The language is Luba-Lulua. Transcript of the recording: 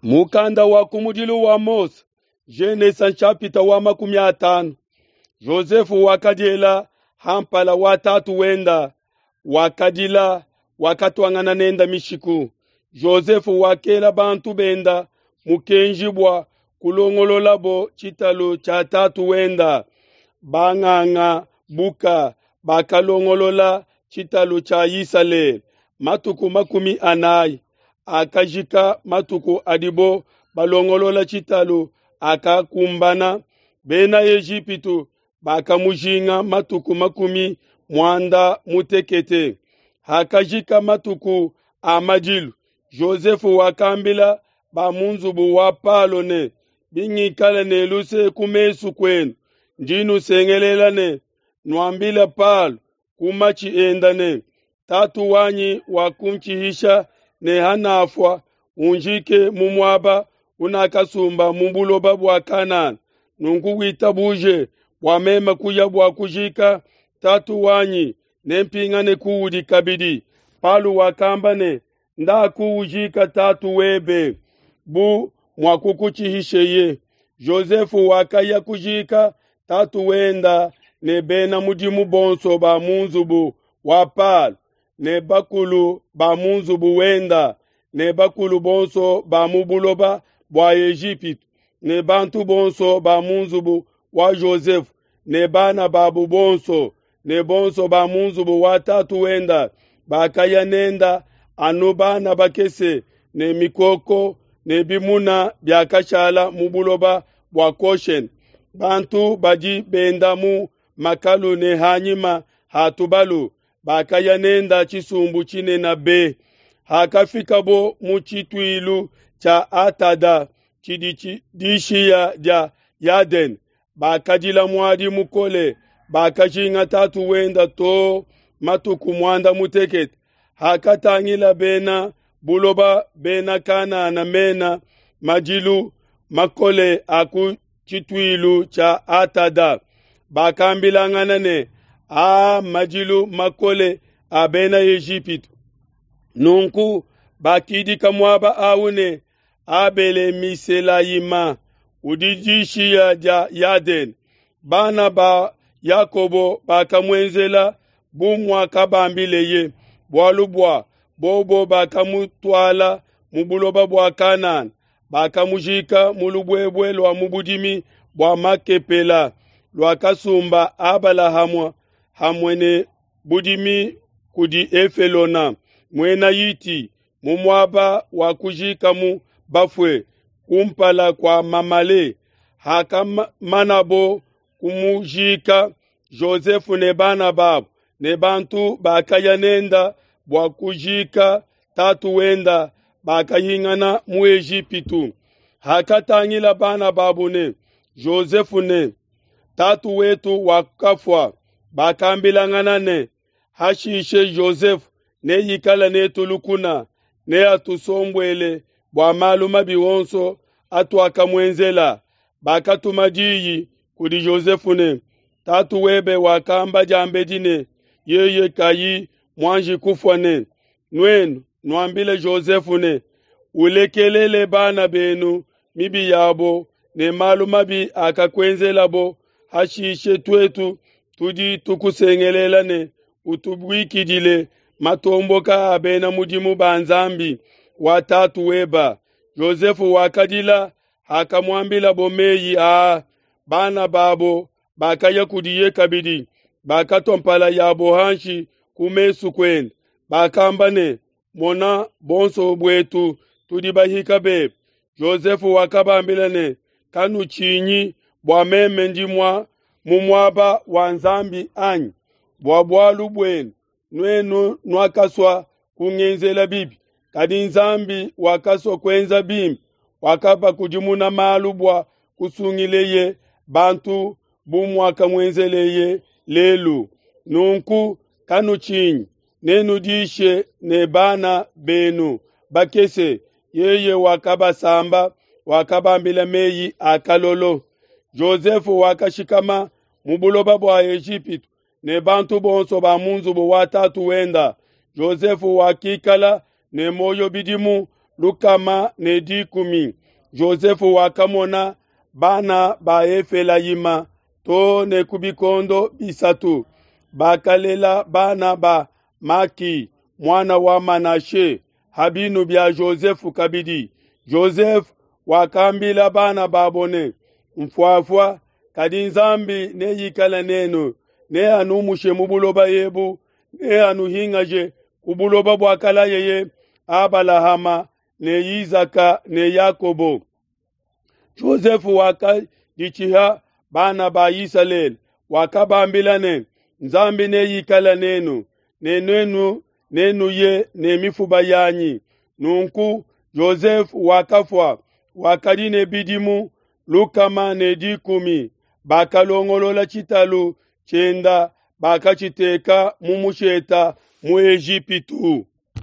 Mukanda wa kumudilu wa Mose, Genesa nshapita wa 50. Jozefe wakadiela ha mpala wa tatu wenda, wakadila, wakatuangana nenda mishiku. Jozefe wakela bantu benda mukenji bua kulongololabo tshitalu tshia tatu wenda. Banganga buka bakalongolola tshitalu tshia Isalele matuku 40 akajika matuku adibo balongolola tshitalu akakumbana. Bena Ejipitu bakamujinga matuku 96. Hakajika matuku a madilu, Jozefe wakambila ba mu nzubu wa Palo ne, bingikala ne luse ku mesu kuenu, ndi nusengelela ne nuambile Palo ku matshi enda ne, tatu wanyi wakuntshihisha ne hanafua, unjike mu muaba unakasumba mu buloba bua Kanana. Nunku witabuje bua meme kuya bua kujika tatu wanyi, nempingane kuudi kabidi. Palo wakamba ne, ndaku ujika tatu webe bu muakukutshihisheye. Jozefe wakaya kujika tatu wenda ne bena mudimu bonso ba mu nzubu wa Palo, ne bakulu ba mu nzubu wenda, ne bakulu bonso ba mu buloba bua Ejipitu, ne bantu bonso ba mu nzubu wa Jozefe, ne bana babu bonso, ne bonso ba mu nzubu wa tatu wenda bakaya nenda, anu bana bakese ne mikoko ne bimuna biakashala mu buloba bua Goshene. Bantu badi benda mu makalu ne hanyima ha tubalu bakaya nenda tshisumbu tshinene be. Hakafikabo mu tshituilu tshia Atada tshidi dishiya dia Yadene, bakadila muadi mukole, bakajinga tatu wenda to matuku 18. Hakatangila bena buloba bena Kanana mena madilu makole a ku tshituilu tshia Atada, bakambilangana ne, aa madilu makole a bena Ejipitu. Nunku bakidika muaba awu ne Abele-Miselayima, udi dishiya dia Yadene. Bana ba Yakobo bakamuenzela bu muakabambileye, bualu bua bobo bakamutuala mu buloba bua Kanana, bakamujika mu lubuebue lua mu budimi bua Makepela luakasumba Abalahama hamwe ne budimi kudi Efelona muena Hiti, mu muaba wa kujikamu bafue kumpala kua Mamale. Hakamanabo kumujika, Jozefe ne bana babo ne bantu bakaya nenda bua kujika tatu wenda bakahingana mu Ejipitu. Hakatangila bana babo ne Jozefe ne tatu wetu wakafua, bakambilangana ne, hashishe Jozefe neikale netu lukuna, neatusombuele bua malu mabi onso atuakamuenzela. Bakatuma diyi kudi Jozefe ne, tatu webe wakamba diambedi ne, yeye kayi muanji kufua ne, nuenu nuambile Jozefe ne, ulekelele bana benu mibi yabo ne malu mabi akakuenzelabo, hashishe tuetu tudi tukusengelela ne utubuikidile matomboka a bena mudimu ba Nzambi wa tatu weba. Jozefe wakadila hakamuambilabo meyi aa. Bana babo bakaya kudiye kabidi, bakatua mpala yabo hanshi ku mesu kuende, bakamba ne, mona, bonso buetu tudi bahika bebe. Jozefe wakabambila ne, kanutshinyi, bua meme ndi mu muaba wa Nzambi anyi? Bua bualu buenu nuenu nuakasua kungenzela bibi, kadi Nzambi wakasua kuenza bimpe, wakabakudimuna malu bua kusungileye bantu bu muakamuenzeleye lelu. Nunku kanutshinyi, nenudishe ne bana benu bakese. Yeye wakabasamba, wakabambila meyi a kalolo. Jozefe wakashikama mu buloba bua Ejipitu ne bantu bonso ba mu nzubu wa tatu wenda. Jozefe wakikala ne muoyo bidimu 110. Jozefe wakamona bana ba Efelayima too ne ku bikondo bisatu. Bakalela bana ba Maki muana wa Manashe ha binu bia Jozefe kabidi. Jozefe wakambila bana babo ne, Mfuafua, kadi Nzambi neikale nenu, neanumushe mu buloba ebu, neanuhingaje ku buloba buakalayeye Abalahama ne Isaka ne Yakobo. Jozefe wakaditshiha bana ba Isalele, wakabambila ne, Nzambi neikale nenu, ne nuenu nenuye ne mifuba yanyi. Nunku Jozefe wakafua, wakadi ne bidimu 110. Bakalongolola tshitalu tshienda, bakatshiteka mu musheta mu Ejipitu.